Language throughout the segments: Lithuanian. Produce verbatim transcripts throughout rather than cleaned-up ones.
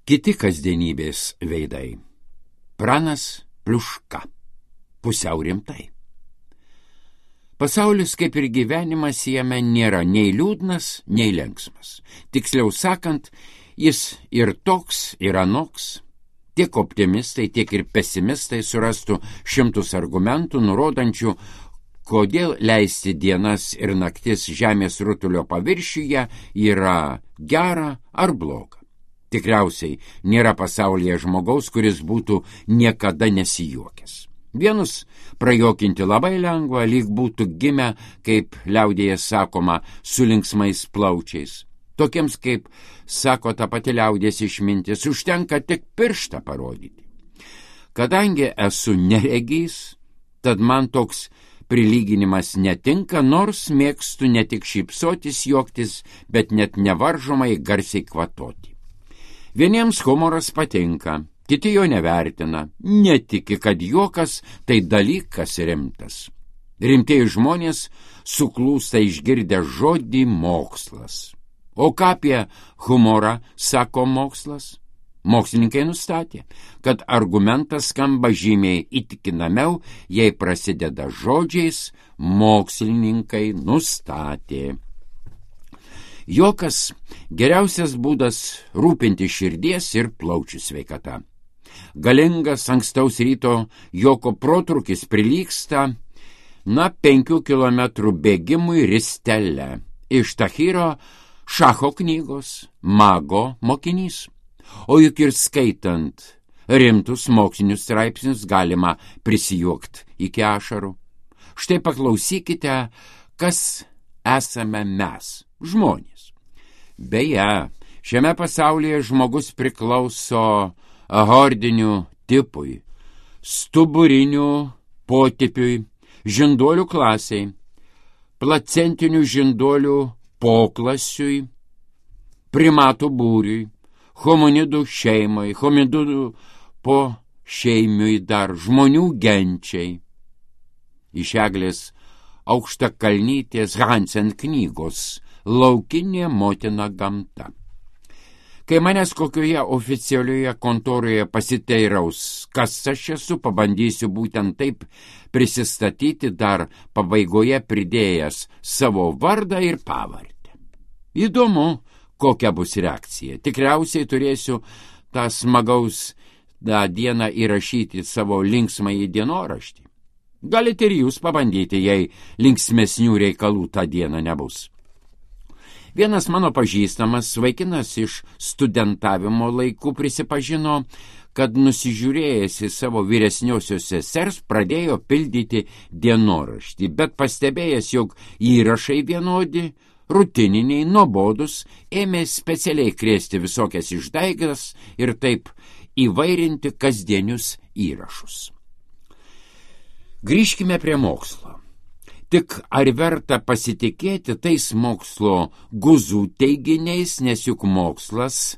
Kiti kasdienybės veidai. Pranas Pliuška. Pusiau rimtai. Pasaulis, kaip ir gyvenimas, jame nėra nei liūdnas, nei linksmas. Tiksliau sakant, jis ir toks, ir anoks. Tiek optimistai, tiek ir pesimistai surastų šimtus argumentų, nurodančių, kodėl leisti dienas ir naktis žemės rutulio paviršiuje yra gera ar bloga. Tikriausiai nėra pasaulyje žmogaus, kuris būtų niekada nesijuokęs. Vienus prajuokinti labai lengva, lyg būtų gimę, kaip liaudėje sakoma, su linksmais plaučiais. Tokiems, kaip sako ta pati liaudės išmintis, užtenka tik pirštą parodyti. Kadangi esu neregys, tad man toks prilyginimas netinka, nors mėgstu ne tik šypsotis, juoktis, bet net nevaržomai garsiai kvatoti. Vieniems humoras patinka, kiti jo nevertina, netiki, kad juokas tai dalykas rimtas. Rimtieji žmonės suklūsta išgirdę žodį mokslas. O ką apie humorą sako mokslas? Mokslininkai nustatė, kad argumentas skamba žymiai įtikinamiau, jei prasideda žodžiais mokslininkai nustatė. Juokas geriausias būdas rūpinti širdies ir plaučių sveikata. Galingas ankstaus ryto juoko protrūkis prilygsta, na, penkių kilometrų bėgimui ristele. Iš Tahiro Šacho knygos Mago mokinys. O juk ir skaitant rimtus mokslinius straipsnius galima prisijuokti iki ašarų. Štai paklausykite, kas esame mes, žmonės. Beje, šiame pasaulyje žmogus priklauso ahordinių tipui, stuburinių potipiui, žinduolių klasiai, placentinių žinduolių poklasiui, primatų būriui, hominidų šeimai, hominidų po šeimiui dar, žmonių genčiai. Iš Eglės Aukštakalnytės Hansen knygos Laukinė motina gamta. Kai manęs kokioje oficialioje kontoroje pasiteiraus, kas aš esu, pabandysiu būtent taip prisistatyti, dar pabaigoje pridėjęs savo vardą ir pavardę. Įdomu, kokia bus reakcija. Tikriausiai turėsiu tą smagaus tą dieną įrašyti savo linksmąjį dienoraštį. Galite ir jūs pabandyti, jei linksmesnių reikalų tą dieną nebus. Vienas mano pažįstamas vaikinas iš studentavimo laikų prisipažino, kad nusižiūrėjęs į savo vyresniosios sesers pradėjo pildyti dienoraštį, bet pastebėjęs, jog įrašai vienodi, rutininiai, nuobodus, ėmė specialiai krėsti visokias išdaigas ir taip įvairinti kasdienius įrašus. Grįžkime prie mokslo. Tik ar verta pasitikėti tais mokslo guzų teiginiais, nes juk mokslas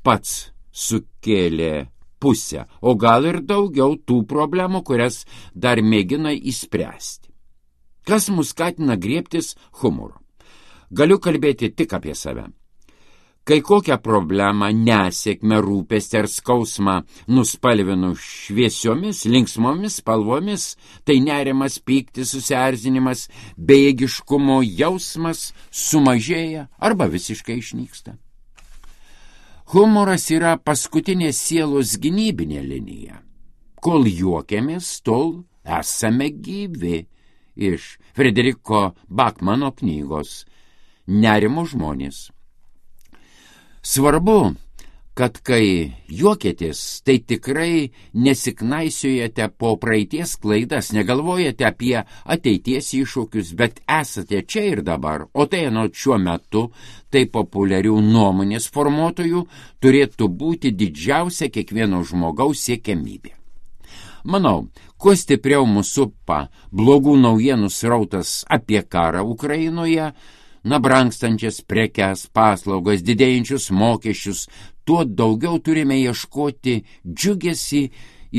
pats sukėlė pusę, o gal ir daugiau tų problemų, kurias dar mėgina įspręsti. Kas mus skatina griebtis humoro? Galiu kalbėti tik apie save. Kai kokią problemą, nesėkmę, rūpestį ar skausmą nuspalvinu šviesiomis, linksmomis spalvomis, tai nerimas, pyktis, susierzinimas, bejėgiškumo jausmas sumažėja arba visiškai išnyksta. Humoras yra paskutinė sielos gynybinė linija. Kol juokiamės, tol esame gyvi. Iš Frederiko Bakmano knygos Nerimo žmonės. Svarbu, kad kai juokėtės, tai tikrai nesiknaisiojate po praeities klaidas, negalvojate apie ateities iššūkius, bet esate čia ir dabar, o tai anot šiuo metu tai populiarių nuomonės formuotojų turėtų būti didžiausia kiekvieno žmogaus siekiamybė. Manau, kuo stipriau mūsų supa blogų naujienų srautas apie karą Ukrainoje, na, brangstančias prekes, paslaugas, didėjančius mokesčius, tuo daugiau turime ieškoti džiugesį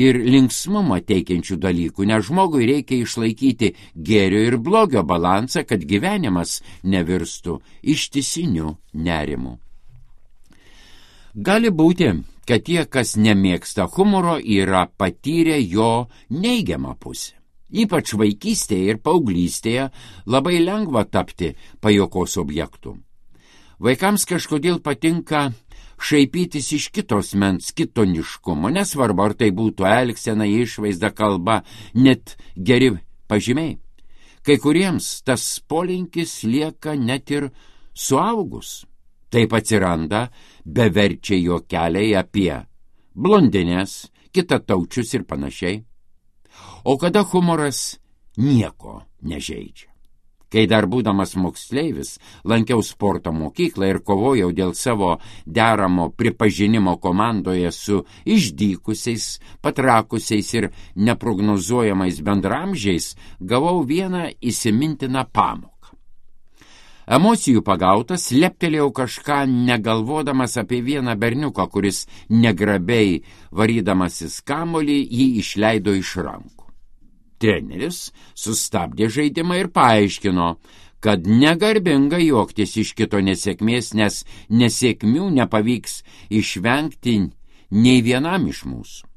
ir linksmumą teikiančių dalykų, nes žmogui reikia išlaikyti gėrio ir blogio balansą, kad gyvenimas nevirstų ištisiniu nerimu. Gali būti, kad tie, kas nemėgsta humoro, yra patyrę jo neigiamą pusę. Ypač vaikystėje ir paauglystėje labai lengva tapti pajuokos objektu. Vaikams kažkodėl patinka šaipytis iš kitos mens kitoniškumo, nesvarbu, ar tai būtų elgsena, išvaizda, kalba, net geri pažymiai. Kai kuriems tas polinkis lieka net ir suaugus. Taip atsiranda beverčiai juokeliai apie blondines, kitataučius ir panašiai. O kada humoras nieko nežeidžia. Kai dar būdamas moksleivis lankiau sporto mokyklą ir kovojau dėl savo deramo pripažinimo komandoje su išdykusiais, patrakusiais ir neprognozuojamais bendramžiais, gavau vieną įsimintiną pamoką. Emocijų pagautas, leptelėjau kažką negalvodamas apie vieną berniuką, kuris negrabiai varydamasis kamuolį jį išleido iš rankų. Treneris sustabdė žaidimą ir paaiškino, kad negarbinga juoktis iš kito nesėkmės, nes nesėkmių nepavyks išvengti nei vienam iš mūsų.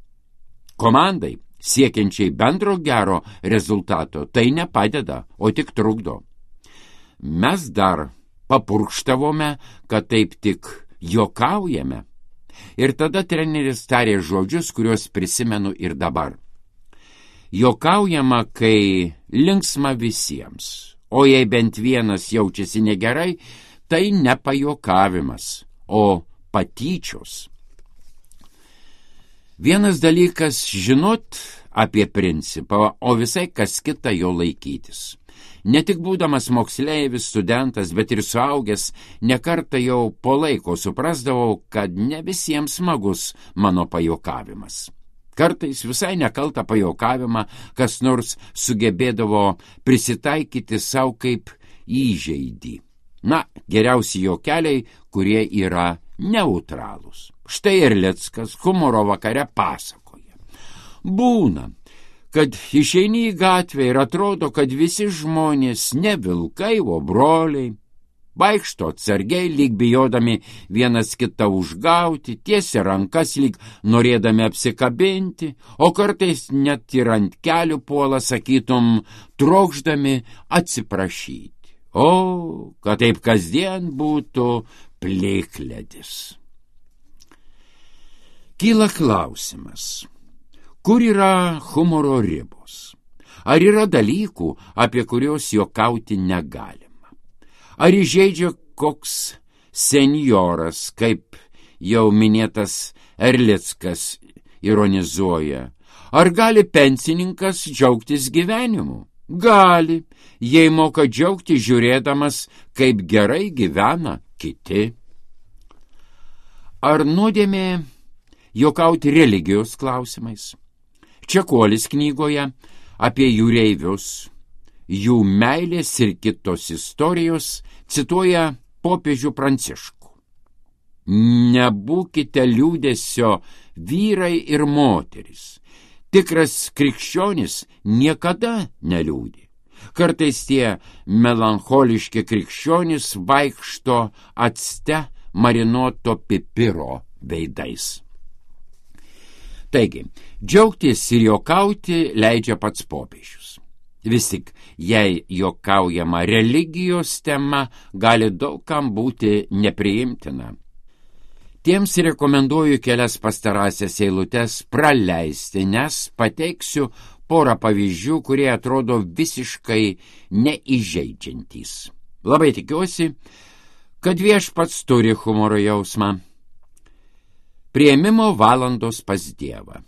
Komandai, siekiančiai bendro gero rezultato, tai nepadeda, o tik trukdo. Mes dar papurkštavome, kad taip tik juokaujame. Ir tada treneris tarė žodžius, kuriuos prisimenu ir dabar. Juokaujama, kai linksma visiems, o jei bent vienas jaučiasi negerai, tai ne pajuokavimas, o patyčios. Vienas dalykas žinot apie principą, o visai kas kita jo laikytis. Ne tik būdamas moksleivis, studentas, bet ir suaugęs, nekartą jau po laiko suprasdavau, kad ne visiems smagus mano pajuokavimas. Kartais visai nekaltą pajuokavimą kas nors sugebėdavo prisitaikyti savo kaip įžeidį. Na, geriausi juokeliai, kurie yra neutralūs. Štai Erlickas humoro vakare pasakoja. Būna, kad išeini į gatvę ir atrodo, kad visi žmonės ne vilkai, o broliai. Vaikšto atsargiai, lyg bijodami vienas kitą užgauti, tiesia rankas, lyg norėdami apsikabinti, o kartais net ir ant kelių puola, sakytum, trokšdami atsiprašyti. O, kad taip kasdien būtų plikledis. Kyla klausimas, kur yra humoro ribos? Ar yra dalykų, apie kuriuos juokauti negali? Ar įžeidžia koks senjoras, kaip jau minėtas Erlickas ironizuoja? Ar gali pensininkas džiaugtis gyvenimu? Gali, jei moka džiaugti žiūrėdamas, kaip gerai gyvena kiti. Ar nuodėmė juokauti religijos klausimais? Čekuolis knygoje apie jūreivius, jų meilės ir kitos istorijos cituoja popiežių Pranciškų. Nebūkite liūdesio vyrai ir moteris. Tikras krikščionis niekada neliūdi. Kartais tie melancholiški krikščionys vaikšto acte marinuoto pipiro veidais. Taigi, džiaugtis ir juokauti leidžia pats popiežius. Vis tik, jei juokaujama religijos tema, gali daugam būti nepriimtina. Tiems rekomenduoju kelias pastarąsias eilutes praleisti, nes pateiksiu porą pavyzdžių, kurie atrodo visiškai neįžeidžiantys. Labai tikiuosi, kad viešpats turi humoro jausmą. Priėmimo valandos pas Dievą.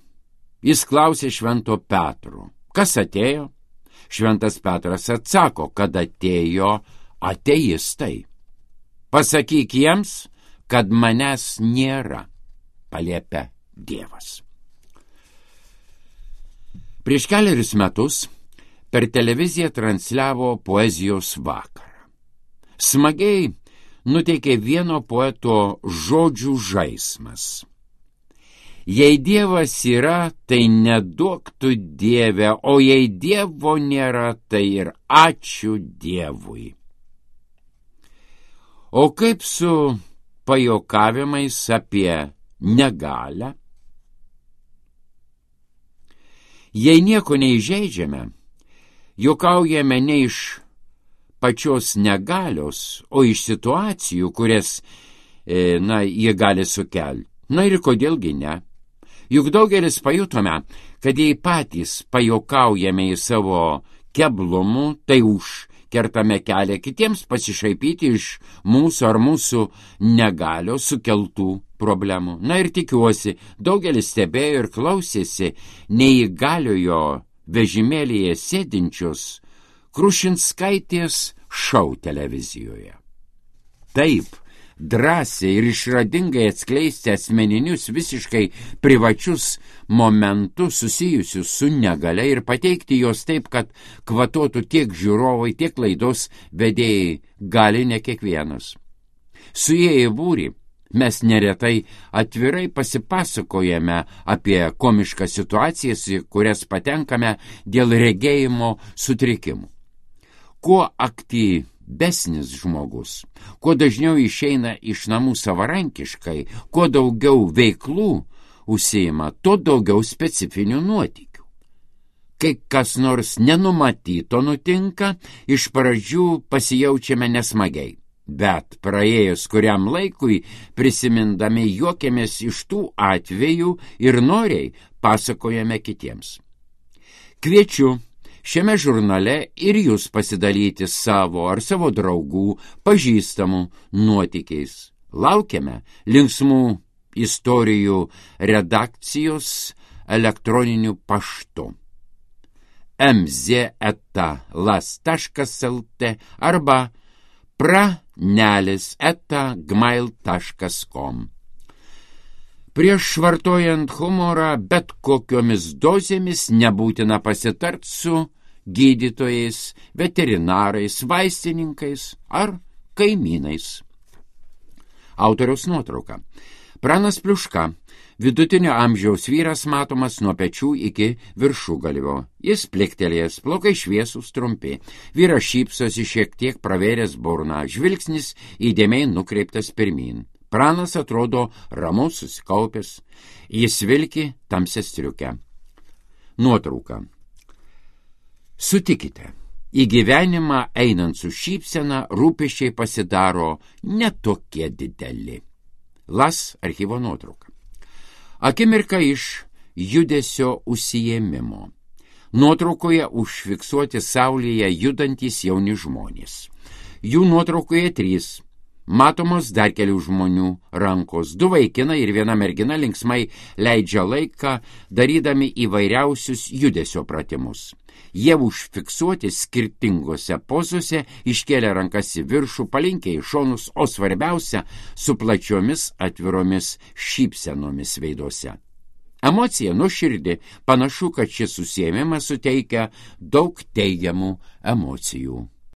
Jis klausė Švento Petro, kas atėjo? Šventas Petras atsako, kad atėjo ateistai. Pasakyk jiems, kad manęs nėra, paliepia Dievas. Prieš keliarius metus per televiziją transliavo poezijos vakarą. Smagiai nuteikė vieno poeto žodžių žaismas. Jei Dievas yra, tai neduok tu Dieve, o jei Dievo nėra, tai ir ačiū Dievui. O kaip su pajokavimais apie negalią. Jei nieko neįžeidžiame, juokaujame ne iš pačios negalios, o iš situacijų, kurias, e, na, jie gali sukelti. Na ir kodėlgi ne? Juk daugelis pajutome, kad jei patys pajuokaujame į savo keblumų, tai užkertame kelią kitiems pasišaipyti iš mūsų ar mūsų negalios sukeltų problemų. Na ir tikiuosi, daugelis stebėjo ir klausėsi neįgaliojo vežimėlyje sėdinčios Krušinskaitės šou televizijoje. Taip, drąsiai ir išradingai atskleisti asmeninius visiškai privačius momentus susijusius su negalia ir pateikti juos taip, kad kvatotų tiek žiūrovai, tiek laidos vedėjai gali ne kiekvienas. Suėję į būrį, mes neretai atvirai pasipasakojame apie komiškas situacijas, į kurias patenkame dėl regėjimo sutrikimų. Kuo aktyvesnis žmogus, kuo dažniau išeina iš namų savarankiškai, kuo daugiau veiklų užsiima, tuo daugiau specifinių nuotykių. Kai kas nors nenumatyto nutinka, iš pradžių pasijaučiame nesmagiai, bet praėjus kuriam laikui prisimindami juokiamės iš tų atvejų ir noriai pasakojame kitiems. Kviečiu šiame žurnale ir jūs pasidalyti savo ar savo draugų, pažįstamų nuotykiais. Laukiame linksmų istorijų redakcijos elektroniniu paštu em zet eta las taškas lt arba pranelis eta gmail taškas kom. Prieš vartojant humorą bet kokiomis dozėmis nebūtina pasitart su gydytojais, veterinarais, vaistininkais ar kaimynais. Autoriaus nuotrauka. Pranas Pliuška, vidutinio amžiaus vyras, matomas nuo pečių iki viršugalvio. Jis pliktelėjęs, plaukai šviesūs trumpi. Vyras šypsosi šiek tiek pravėręs burną, žvilgsnis įdėmiai nukreiptas pirmyn. Pranas atrodo ramus, susikaupęs. Jis vilki tamsią striukę. Nuotrauka. Sutikite, į gyvenimą einant su šypsena rūpesčiai pasidaro netokie dideli. Las archyvo nuotrauka. Akimirka iš judesio užsiėmimo. Nuotraukoje užfiksuoti saulėje judantys jauni žmonės. Jų nuotraukoje trys. Matomos dar kelių žmonių rankos. Du vaikinai ir viena mergina linksmai leidžia laiką, darydami įvairiausius judesio pratimus. Jie užfiksuoti skirtingose pozose, iškėlė rankas į viršų, palinkę į šonus, o svarbiausia, su plačiomis atviromis šypsenomis veiduose. Emocija nuoširdi, panašu, kad šis užsiėmimas suteikia daug teigiamų emocijų.